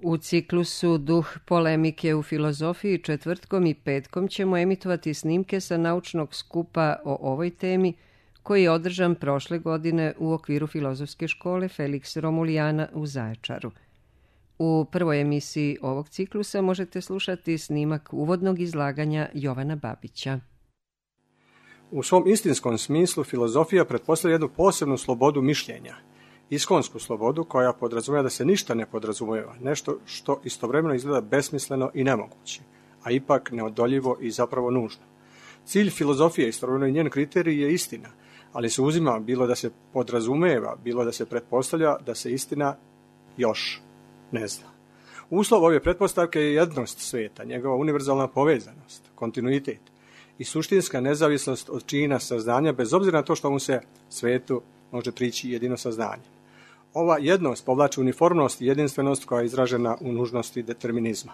U ciklusu Duh polemike u filozofiji četvrtkom i petkom ćemo emitovati snimke sa naučnog skupa o ovoj temi koji je održan prošle godine u okviru Filozofske škole Felix Romulijana u Zaječaru. U prvoj emisiji ovog ciklusa možete slušati snimak uvodnog izlaganja Jovana Babića. U svom istinskom smislu filozofija pretpostavlja jednu posebnu slobodu mišljenja, iskonsku slobodu koja podrazumijeva da se ništa ne podrazumijeva, nešto što istovremeno izgleda besmisleno i nemoguće, a ipak neodoljivo i zapravo nužno. Cilj filozofije, istovremeno i njen kriterij je istina, ali se uzima bilo da se podrazumijeva, bilo da se pretpostavlja da se istina još ne zna. Uslov ove pretpostavke je jednost sveta, njegova univerzalna povezanost, kontinuitet i suštinska nezavisnost od čina saznanja, bez obzira na to što mu se svetu može prići jedino saznanjem. Ova jednost povlači uniformnost i jedinstvenost koja je izražena u nužnosti determinizma.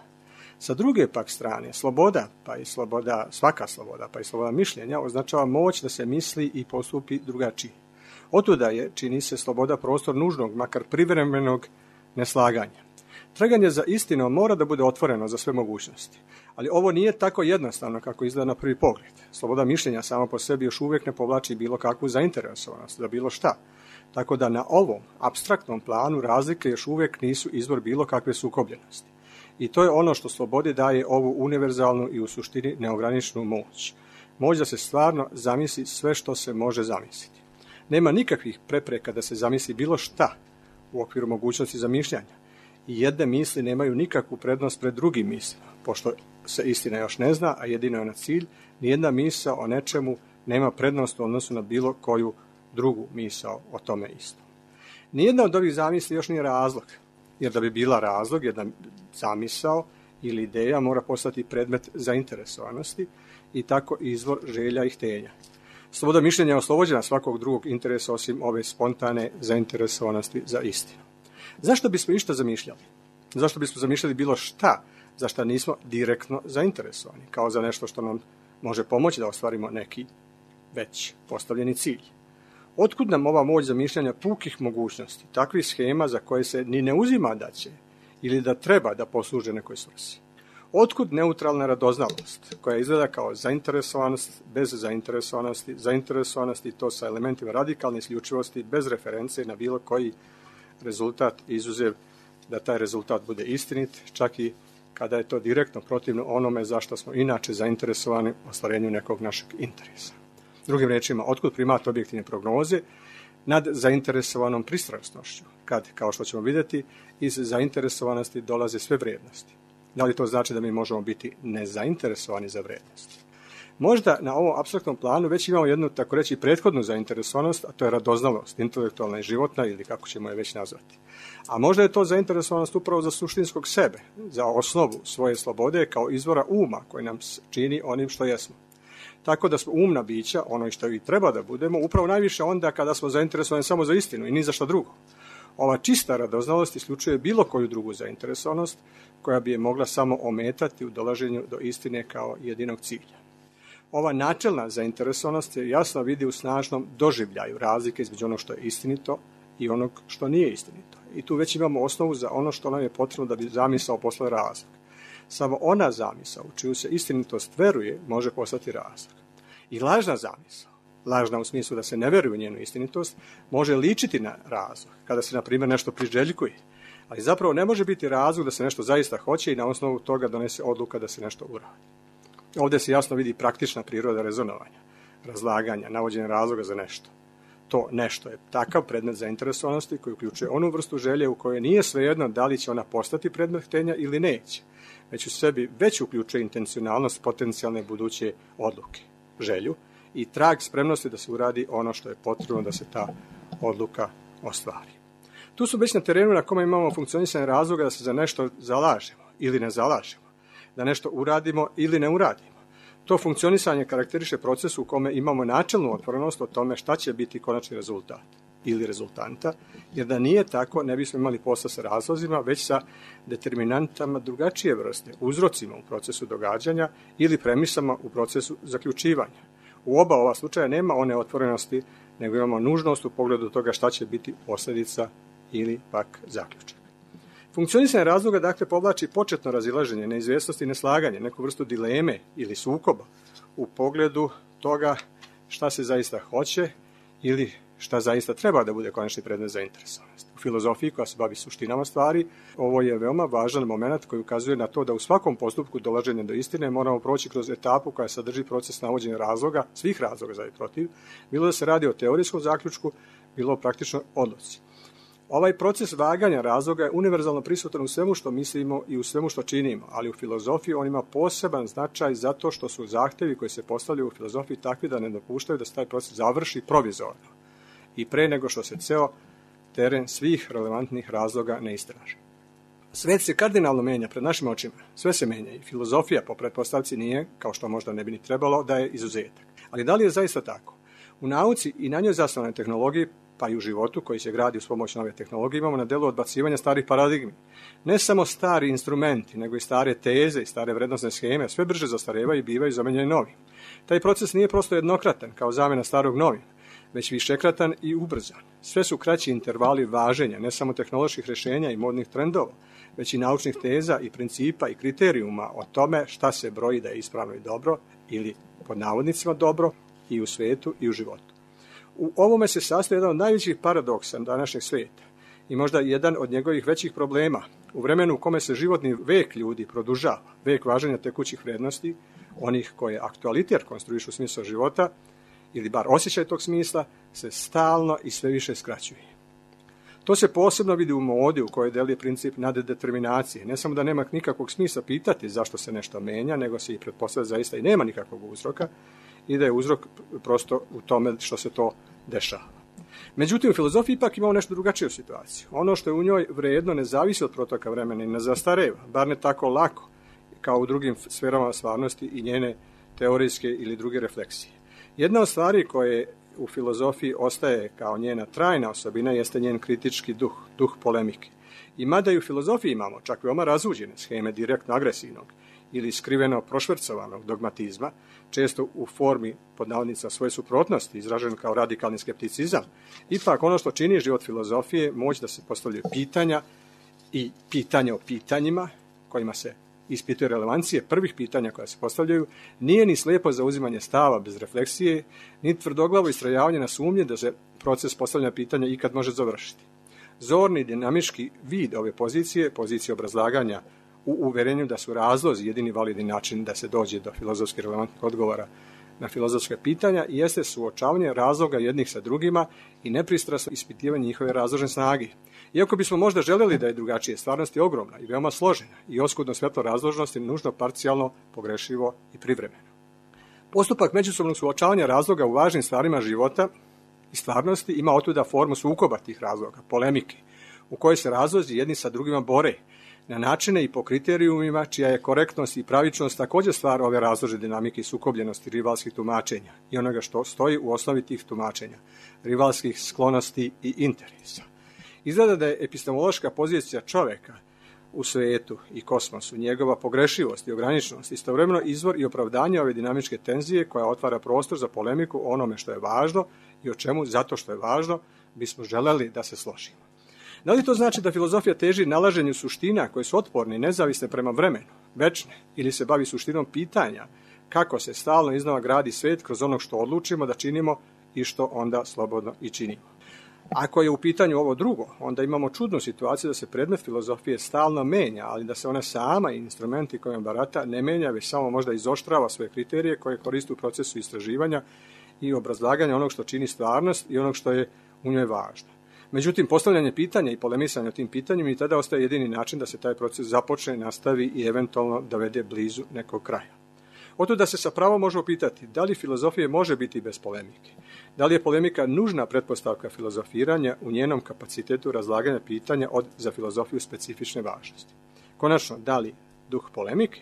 Sa druge pak strane, sloboda, pa i svaka sloboda, pa i sloboda mišljenja, označava moć da se misli i postupi drugačije. Otuda je, čini se, sloboda prostor nužnog, makar privremenog neslaganja. Traganje za istinom mora da bude otvoreno za sve mogućnosti, ali ovo nije tako jednostavno kako izgleda na prvi pogled. Sloboda mišljenja sama po sebi još uvijek ne povlači bilo kakvu zainteresovanost za bilo šta, tako da na ovom apstraktnom planu razlike još uvijek nisu izvor bilo kakve sukobljenosti. I to je ono što slobodi daje ovu univerzalnu i u suštini neograničenu moć. Moć da se stvarno zamisli sve što se može zamisliti. Nema nikakvih prepreka da se zamisli bilo šta u okviru mogućnosti zamišljanja. I jedne misli nemaju nikakvu prednost pred drugim mislima, pošto se istina još ne zna, a jedino je na cilj, nijedna misao o nečemu nema prednost u odnosu na bilo koju drugu misao o tome istom. Nijedna od ovih zamisli još nije razlog, jer da bi bila razlog, jedna zamisao ili ideja mora postati predmet zainteresovanosti i tako izvor želja i htenja. Sloboda mišljenja je oslobođena svakog drugog interesa osim ove spontane zainteresovanosti za istinu. Zašto bismo išta zamišljali? Zašto bismo zamišljali bilo šta, za šta nismo direktno zainteresovani, kao za nešto što nam može pomoći da ostvarimo neki već postavljeni cilj? Otkud nam ova moć zamišljanja pukih mogućnosti, takvih schema za koje se ni ne uzima da će ili da treba da posluže nekoj svrsi? Otkud neutralna radoznalost, koja izgleda kao zainteresovanost bez zainteresovanosti to sa elementima radikalne isključivosti, bez reference na bilo koji rezultat, izuzev da taj rezultat bude istinit, čak i kada je to direktno protivno onome zašto smo inače zainteresovani u ostvarenju nekog našeg interesa. Drugim riječima, otkud primat objektivne prognoze nad zainteresovanom pristrasnošću, kad, kao što ćemo vidjeti, iz zainteresovanosti dolaze sve vrijednosti. Da li to znači da mi možemo biti nezainteresovani za vrijednosti? Možda na ovom apstraktnom planu već imamo jednu, tako reći, prethodnu zainteresovanost, a to je radoznalost, intelektualna i životna, ili kako ćemo je već nazvati. A možda je to zainteresovanost upravo za suštinskog sebe, za osnovu svoje slobode kao izvora uma koji nam čini onim što jesmo. Tako da smo umna bića, ono što i treba da budemo, upravo najviše onda kada smo zainteresovani samo za istinu i ni za što drugo. Ova čista radoznalost isključuje bilo koju drugu zainteresovanost koja bi je mogla samo ometati u dolaženju do istine kao jedinog cilja. Ova načelna zainteresovanost se jasno vidi u snažnom doživljaju razlike između onog što je istinito i onog što nije istinito. I tu već imamo osnovu za ono što nam je potrebno da bi zamisao postala razlog. Samo ona zamisao u čiju se istinitost veruje može postati razlog. I lažna zamisao, lažna u smislu da se ne veruje u njenu istinitost, može ličiti na razlog, kada se, na primjer, nešto priželjkuje, ali zapravo ne može biti razlog da se nešto zaista hoće i na osnovu toga donese odluka da se nešto uradi. Ovdje se jasno vidi praktična priroda rezonovanja, razlaganja, navođenja razloga za nešto. To nešto je takav predmet zainteresovanosti koji uključuje onu vrstu želje u kojoj nije svejedno da li će ona postati predmet htenja ili neće, već u sebi već uključuje intencionalnost potencijalne buduće odluke, želju i trag spremnosti da se uradi ono što je potrebno da se ta odluka ostvari. Tu su već na terenu na kome imamo funkcionisanje razloga da se za nešto zalažemo ili ne zalažemo, da nešto uradimo ili ne uradimo. To funkcionisanje karakteriše proces u kome imamo načelnu otvorenost o tome šta će biti konačni rezultat ili rezultanta, jer da nije tako ne bismo imali posla sa razlozima, već sa determinantama drugačije vrste, uzrocima u procesu događanja ili premisama u procesu zaključivanja. U oba ova slučaja nema one otvorenosti, nego imamo nužnost u pogledu toga šta će biti posljedica ili pak zaključak. Funkcionisanje razloga dakle povlači početno razilaženje, neizvjesnosti i neslaganje, neku vrstu dileme ili sukoba u pogledu toga šta se zaista hoće ili šta zaista treba da bude konačni predmet zainteresovanosti. U filozofiji koja se bavi suštinama stvari, ovo je veoma važan moment koji ukazuje na to da u svakom postupku dolaženja do istine moramo proći kroz etapu koja sadrži proces navođenja razloga, svih razloga za i protiv, bilo da se radi o teorijskom zaključku, bilo o praktičnoj odluci. Ovaj proces vaganja razloga je univerzalno prisutan u svemu što mislimo i u svemu što činimo, ali u filozofiji on ima poseban značaj zato što su zahtevi koji se postavljaju u filozofiji takvi da ne dopuštaju da se taj proces završi provizorno i pre nego što se ceo teren svih relevantnih razloga ne istraži. Svet se kardinalno menja pred našim očima, sve se menja i filozofija po pretpostavci nije, kao što možda ne bi ni trebalo, da je izuzetak. Ali da li je zaista tako? U nauci i na njoj zasnovanoj tehnologiji, pa i u životu koji se gradi uz pomoć nove tehnologije, imamo na delu odbacivanja starih paradigmi. Ne samo stari instrumenti, nego i stare teze i stare vrednosne scheme sve brže zastarevaju i bivaju zamenjeni novim. Taj proces nije prosto jednokratan, kao zamena starog novim, već višekratan i ubrzan. Sve su kraći intervali važenja, ne samo tehnoloških rješenja i modnih trendova, već i naučnih teza i principa i kriterijuma o tome šta se broji da je ispravno i dobro, ili pod navodnicima dobro, i u svetu i u životu. U ovome se sastoji jedan od najvećih paradoksa današnjeg sveta i možda jedan od njegovih većih problema. U vremenu u kome se životni vek ljudi produžava, vek važenja tekućih vrednosti, onih koje aktualitet konstruišu smisao života, ili bar osjećaj tog smisla, se stalno i sve više skraćuje. To se posebno vidi u modi u kojoj deluje princip naddeterminacije. Ne samo da nema nikakvog smisla pitati zašto se nešto menja, nego se i pretpostavlja zaista i nema nikakvog uzroka i da je uzrok prosto u tome što se to dešava. Međutim, u filozofiji ipak imamo nešto drugačiju situaciju. Ono što je u njoj vredno ne zavisi od protoka vremena i ne zastareva, bar ne tako lako, kao u drugim sferama stvarnosti i njene teorijske ili druge refleksije. Jedna od stvari koje u filozofiji ostaje kao njena trajna osobina jeste njen kritički duh polemike. I mada i u filozofiji imamo čak veoma razuđene scheme direktno agresivnog ili skriveno prošvercovanog dogmatizma, često u formi pod navodnicima svoje suprotnosti, izražen kao radikalni skepticizam, ipak ono što čini život filozofije moć da se postavljaju pitanja i pitanja o pitanjima kojima se ispituje relevancije prvih pitanja koja se postavljaju, nije ni slijepo zauzimanje stava bez refleksije, ni tvrdoglavo istrajavanje na sumnje da se proces postavljanja pitanja ikad može završiti. Zorni dinamički vid ove pozicije obrazlaganja u uverenju da su razlozi jedini validni način da se dođe do filozofski relevantnih odgovora na filozofske pitanja i jeste suočavanje razloga jednih sa drugima i nepristrasno ispitivanje njihove razložne snage. Iako bismo možda željeli da je drugačije, stvarnost je ogromna i veoma složena i oskudno svetlo razložnosti nužno parcijalno, pogrešivo i privremeno. Postupak međusobnog suočavanja razloga u važnim stvarima života i stvarnosti ima otuda formu sukoba tih razloga, polemike, u kojoj se razlozi jedni sa drugima bore, na načine i po kriterijumima čija je korektnost i pravičnost također stvar ove razložne dinamike i sukobljenosti rivalskih tumačenja i onoga što stoji u osnovi tih tumačenja, rivalskih sklonosti i interesa. Izgleda da je epistemološka pozicija čoveka u svetu i kosmosu, njegova pogrešivost i ograničenost, istovremeno izvor i opravdanje ove dinamičke tenzije koja otvara prostor za polemiku o onome što je važno i o čemu, zato što je važno, bismo želeli da se složimo. Da li to znači da filozofija teži nalaženju suština koje su otporne i nezavisne prema vremenu, večne, ili se bavi suštinom pitanja kako se stalno iznova gradi svet kroz ono što odlučimo da činimo i što onda slobodno i činimo? Ako je u pitanju ovo drugo, onda imamo čudnu situaciju da se predmet filozofije stalno menja, ali da se ona sama i instrumenti kojom barata ne menja, već samo možda izoštrava svoje kriterije koje koristi u procesu istraživanja i obrazlaganja onog što čini stvarnost i onog što je u njoj važno. Međutim, postavljanje pitanja i polemisanje o tim pitanjima i tada ostaje jedini način da se taj proces započne, nastavi i eventualno dovede blizu nekog kraja. Otuda se sa pravom može upitati da li filozofije može biti bez polemike. Da li je polemika nužna pretpostavka filozofiranja u njenom kapacitetu razlaganja pitanja od za filozofiju specifične važnosti. Konačno, da li duh polemike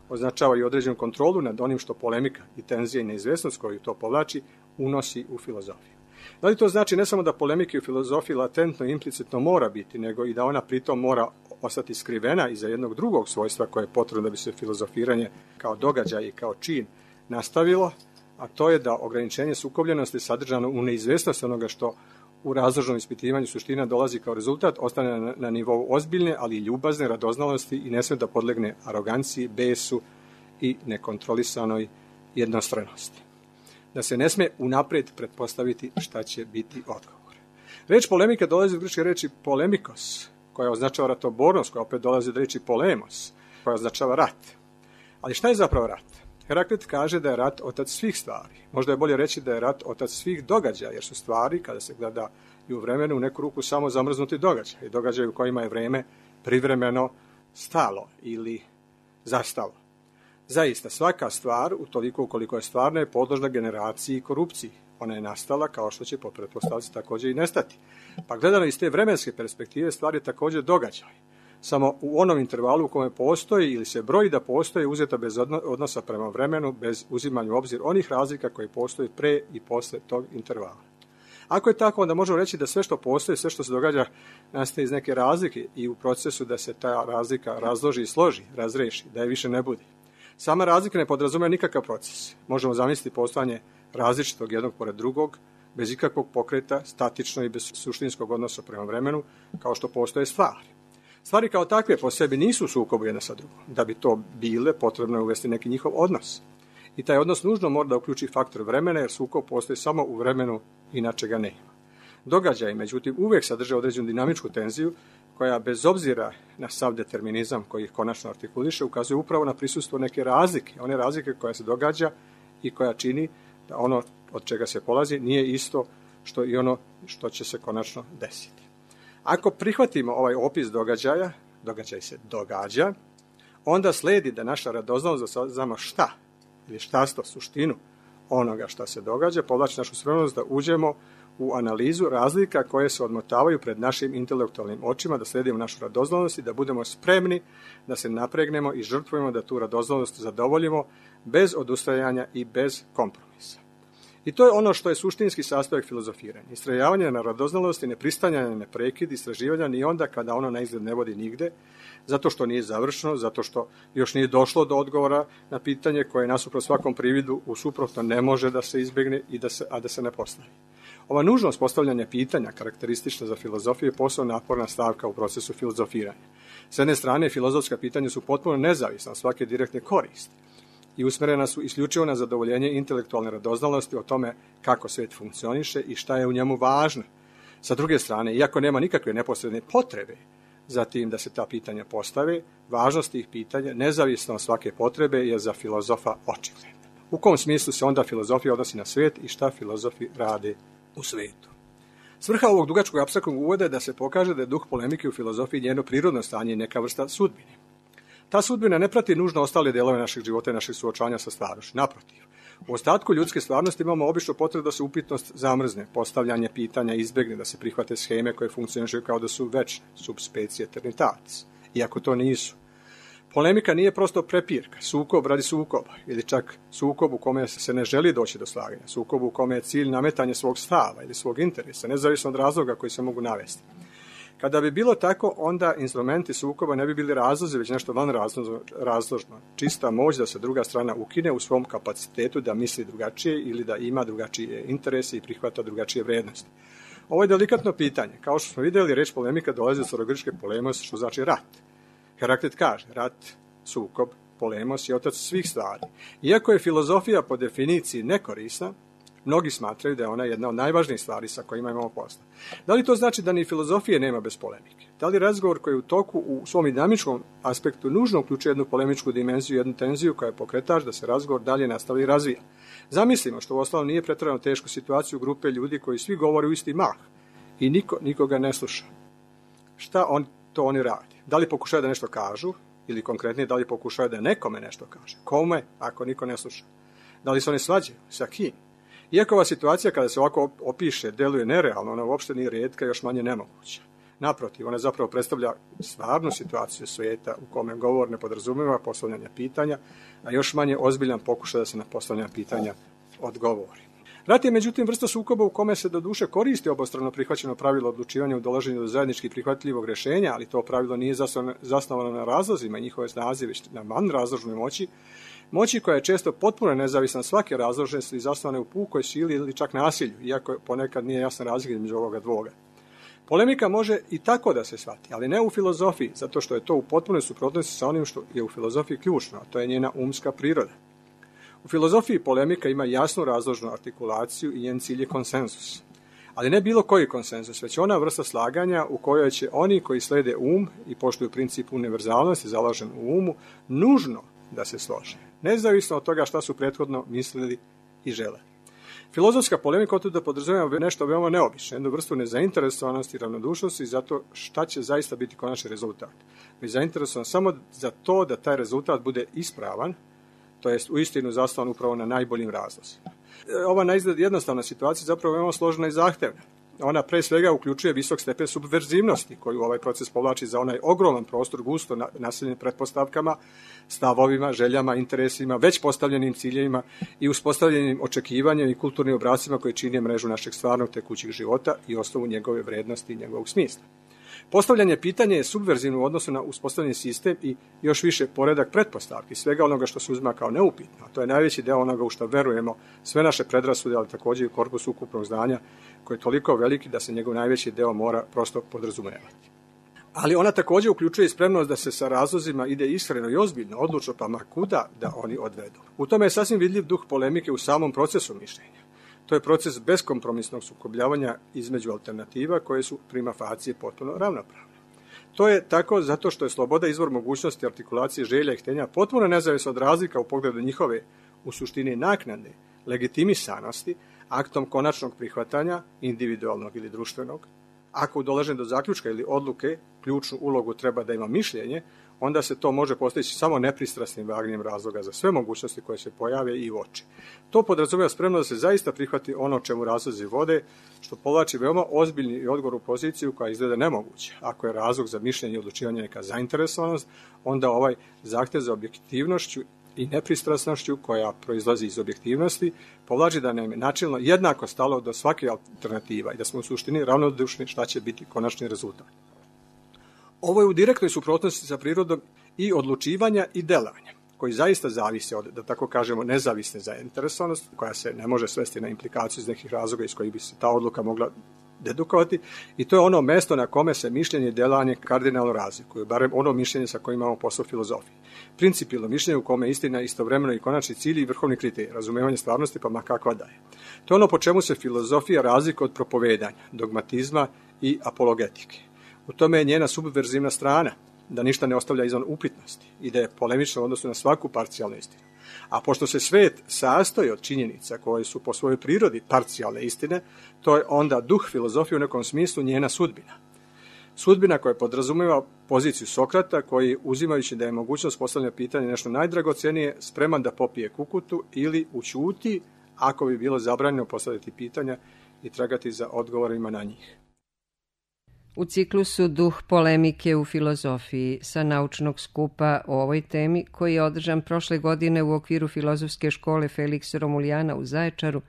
označava i određenu kontrolu nad onim što polemika i tenzija i neizvjesnost koju to povlači unosi u filozofiju. Da li to znači ne samo da polemike u filozofiji latentno i implicitno mora biti, nego i da ona pritom mora ostati skrivena iza jednog drugog svojstva koje je potrebno da bi se filozofiranje kao događaj i kao čin nastavilo, a to je da ograničenje sukobljenosti sadržano u neizvjesnosti onoga što u razložnom ispitivanju suština dolazi kao rezultat, ostane na nivou ozbiljne, ali i ljubazne radoznalosti i ne sme da podlegne aroganciji, besu i nekontrolisanoj jednostranosti. Da se ne sme unapred pretpostaviti šta će biti odgovor. Reč polemika dolazi od grčke reči polemikos, koja označava ratobornost, koja opet dolazi od reči polemos, koja označava rat. Ali šta je zapravo rat? Heraklit kaže da je rat otac svih stvari. Možda je bolje reći da je rat otac svih događaja, jer su stvari, kada se gleda i u vremenu, u neku ruku samo zamrznuti događaj. Događaj u kojima je vreme privremeno stalo ili zastalo. Zaista, svaka stvar, utoliko ukoliko je stvarna, je podložna generaciji i korupciji. Ona je nastala kao što će po pretpostavci također i nestati. Pa gledano iz te vremenske perspektive, stvar je također događaj. Samo u onom intervalu u kome postoji ili se broji da postoji uzeta bez odnosa prema vremenu, bez uzimanja u obzir onih razlika koji postoji pre i posle tog intervala. Ako je tako, onda možemo reći da sve što postoji, sve što se događa, nastaje iz neke razlike i u procesu da se ta razlika razloži i složi, razreši, da je više ne bude. Sama razlika ne podrazumeva nikakav proces. Možemo zamisliti postojanje različitog jednog pored drugog, bez ikakvog pokreta, statično i bez suštinskog odnosa prema vremenu, kao što postoje stvari. Stvari kao takve po sebi nisu u sukobu jedna sa drugom. Da bi to bile, potrebno je uvesti neki njihov odnos. I taj odnos nužno mora da uključi faktor vremena, jer sukob postoji samo u vremenu, inače ga nema. Događaji, međutim, uvijek sadrže određenu dinamičku tenziju, koja bez obzira na sav determinizam koji ih konačno artikuliše, ukazuje upravo na prisustvo neke razlike. One razlike koja se događa i koja čini da ono od čega se polazi nije isto što i ono što će se konačno desiti. Ako prihvatimo ovaj opis događaja, događaj se događa, onda sledi da naša radoznalost da saznamo šta ili štasto, suštinu onoga šta se događa, povlači našu spremnost da uđemo u analizu razlika koje se odmotavaju pred našim intelektualnim očima, da sledimo našu radoznalost i da budemo spremni da se napregnemo i žrtvujemo da tu radoznalost zadovoljimo bez odustajanja i bez kompromisa. I to je ono što je suštinski sastojak filozofiranja. Istrajavanje na radoznalosti, nepristanjanje na prekid, istraživanja ni onda kada ono na izgled ne vodi nigde, zato što nije završeno, zato što još nije došlo do odgovora na pitanje koje nasuprot svakom prividu u suprotno ne može da se izbjegne a da se ne postavi. Ova nužnost postavljanja pitanja, karakteristična za filozofiju, je posebno naporna stavka u procesu filozofiranja. S jedne strane, filozofska pitanja su potpuno nezavisna od svake direktne koristi i usmerena su isključivo na zadovoljenje intelektualne radoznalosti o tome kako svijet funkcioniše i šta je u njemu važno. Sa druge strane, iako nema nikakve neposredne potrebe za tim da se ta pitanja postave, važnost tih pitanja, nezavisno od svake potrebe, je za filozofa očigledna. U kom smislu se onda filozofija odnosi na svijet i šta filozofi rade u svijetu? Svrha ovog dugačkog apstraktnog uvoda je da se pokaže da je duh polemike u filozofiji njeno prirodno stanje i neka vrsta sudbine. Ta sudbina ne prati nužno ostale delove našeg života i našeg suočanja sa stvarnošću. Naprotiv, u ostatku ljudske stvarnosti imamo obično potrebu da se upitnost zamrzne, postavljanje pitanja izbjegne, da se prihvate sheme koje funkcionišu kao da su večne, sub specie eternitatis, iako to nisu. Polemika nije prosto prepirka, sukob radi sukoba, ili čak sukob u kome se ne želi doći do slaganja, sukob u kome je cilj nametanje svog stava ili svog interesa, nezavisno od razloga koji se mogu navesti. Kada bi bilo tako, onda instrumenti sukoba ne bi bili razlozi, već nešto van razložno. Čista moć da se druga strana ukine u svom kapacitetu da misli drugačije ili da ima drugačije interese i prihvata drugačije vrednosti. Ovo je delikatno pitanje. Kao što smo vidjeli, reč polemika dolazi od starogrčke polemos, što znači rat. Heraklit kaže, rat, sukob, polemos je otac svih stvari. Iako je filozofija po definiciji nekorisna, mnogi smatraju da je ona jedna od najvažnijih stvari sa kojima imamo posla. Da li to znači da ni filozofije nema bez polemike? Da li razgovor koji je u toku u svom dinamičkom aspektu nužno uključuje jednu polemičku dimenziju, jednu tenziju koja je pokretač da se razgovor dalje nastavi i razvija? Zamislimo što uostalom nije pretjerano tešku situaciju grupe ljudi koji svi govore u isti mah i nikoga ne sluša. Šta oni rade? Da li pokušaju da nešto kažu ili konkretnije da li pokušaju da nekome nešto kaže? Kome ako niko ne sluša? Da li se oni svađaju? Sa kim? Iako ova situacija kada se ovako opiše deluje nerealno, ona uopšte nije rijetka, još manje nemoguća. Naprotiv, ona zapravo predstavlja stvarnu situaciju svijeta u kome govor ne podrazumijeva postavljanje pitanja, a još manje ozbiljan pokušaj da se na postavljanje pitanja odgovori. Rat je međutim vrsta sukoba u kome se doduše koristi obostrano prihvaćeno pravilo odlučivanja u dolaženju do zajednički prihvatljivog rješenja, ali to pravilo nije zasnovano na razlozima i njihove snazi, već na vanrazložnoj moći koja je često potpuno nezavisna od svake razloženosti i zasnovane u pukoj sili ili čak nasilju, iako ponekad nije jasna razlika između ovoga dvoga. Polemika može i tako da se shvati, ali ne u filozofiji, zato što je to u potpunoj suprotnosti sa onim što je u filozofiji ključno, a to je njena umska priroda. U filozofiji polemika ima jasnu razložnu artikulaciju i njen cilj je konsenzus. Ali ne bilo koji konsenzus, već ona vrsta slaganja u kojoj će oni koji slede i poštuju princip univerzalnosti založen u umu, nužno da se slože, nezavisno od toga šta su prethodno mislili i žele. Filozofska polemika otuda podrazumijeva nešto veoma neobično, jednu vrstu nezainteresovanosti i ravnodušnosti za to šta će zaista biti konačni rezultat. Već zainteresovan samo za to da taj rezultat bude ispravan, to jest uistinu zasnovan upravo na najboljim razlozima. Ova naizgled jednostavna situacija zapravo je veoma složena i zahtevna. Ona pre svega uključuje visok stepen subverzivnosti koju ovaj proces povlači za onaj ogroman prostor gusto naseljen pretpostavkama, stavovima, željama, interesima, već postavljenim ciljevima i uspostavljenim očekivanjem i kulturnim obrascima koji čine mrežu našeg stvarnog tekućeg života i osnovu njegove vrednosti i njegovog smisla. Postavljanje pitanja je subverzivno u odnosu na uspostavljeni sistem i još više poredak pretpostavki, svega onoga što se uzima kao neupitno. To je najveći deo onoga u što verujemo, sve naše predrasude, ali također i korpus ukupnog znanja koji je toliko veliki da se njegov najveći deo mora prosto podrazumevati. Ali ona također uključuje i spremnost da se sa razlozima ide iskreno i ozbiljno, odlučno, pa ma kuda da oni odvedu. U tome je sasvim vidljiv duh polemike u samom procesu mišljenja. To je proces beskompromisnog sukobljavanja između alternativa koje su prima facie potpuno ravnopravne. To je tako zato što je sloboda izvor mogućnosti artikulacije želja i htenja potpuno nezavisna od razlika u pogledu njihove, u suštini naknade, legitimisanosti, aktom konačnog prihvatanja, individualnog ili društvenog. Ako dolažem do zaključka ili odluke, ključnu ulogu treba da ima mišljenje, onda se to može postići samo nepristrasnim vagnjem razloga za sve mogućnosti koje se pojave i uoči. To podrazumijeva spremno da se zaista prihvati ono čemu razlozi vode, što povlači veoma ozbiljni i odgovornu poziciju koja izgleda nemoguća. Ako je razlog za mišljenje i odlučivanje neka zainteresovanost, onda ovaj zahtjev za objektivnošću i nepristrasnošću koja proizlazi iz objektivnosti povlači da nam je načelno jednako stalo do svake alternativa i da smo u suštini ravnodušni šta će biti konačni rezultat. Ovo je u direktnoj suprotnosti sa prirodom i odlučivanja i delanja, koji zaista zavise od, da tako kažemo, nezavisne zainteresovanosti, koja se ne može svesti na implikaciju iz nekih razloga iz kojih bi se ta odluka mogla dedukovati, i to je ono mesto na kome se mišljenje i delanje kardinalno razlikuju, barem ono mišljenje sa kojim imamo posao filozofiji. Principijelno mišljenje u kome je istina istovremeno i konačni cilj i vrhovni kriterij, razumevanje stvarnosti pa ma kakva da je. To je ono po čemu se filozofija razlikuje od propovedanja, dogmatizma i apologetike. U tome je njena subverzivna strana, da ništa ne ostavlja izvan upitnosti i da je polemična u odnosu na svaku parcijalnu istinu. A pošto se svet sastoji od činjenica koje su po svojoj prirodi parcijalne istine, to je onda duh filozofije u nekom smislu njena sudbina. Sudbina koja podrazumijeva poziciju Sokrata koji, uzimajući da je mogućnost postavljanja pitanja nešto najdragocenije, spreman da popije kukutu ili ućuti ako bi bilo zabranjeno postaviti pitanja i tragati za odgovorima na njih. U ciklusu Duh polemike u filozofiji sa naučnog skupa o ovoj temi, koji je održan prošle godine u okviru Filozofske škole Feliksa Romulijana u Zaječaru,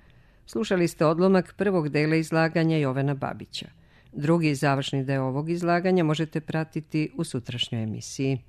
slušali ste odlomak prvog dela izlaganja Jovana Babića. Drugi završni deo ovog izlaganja možete pratiti u sutrašnjoj emisiji.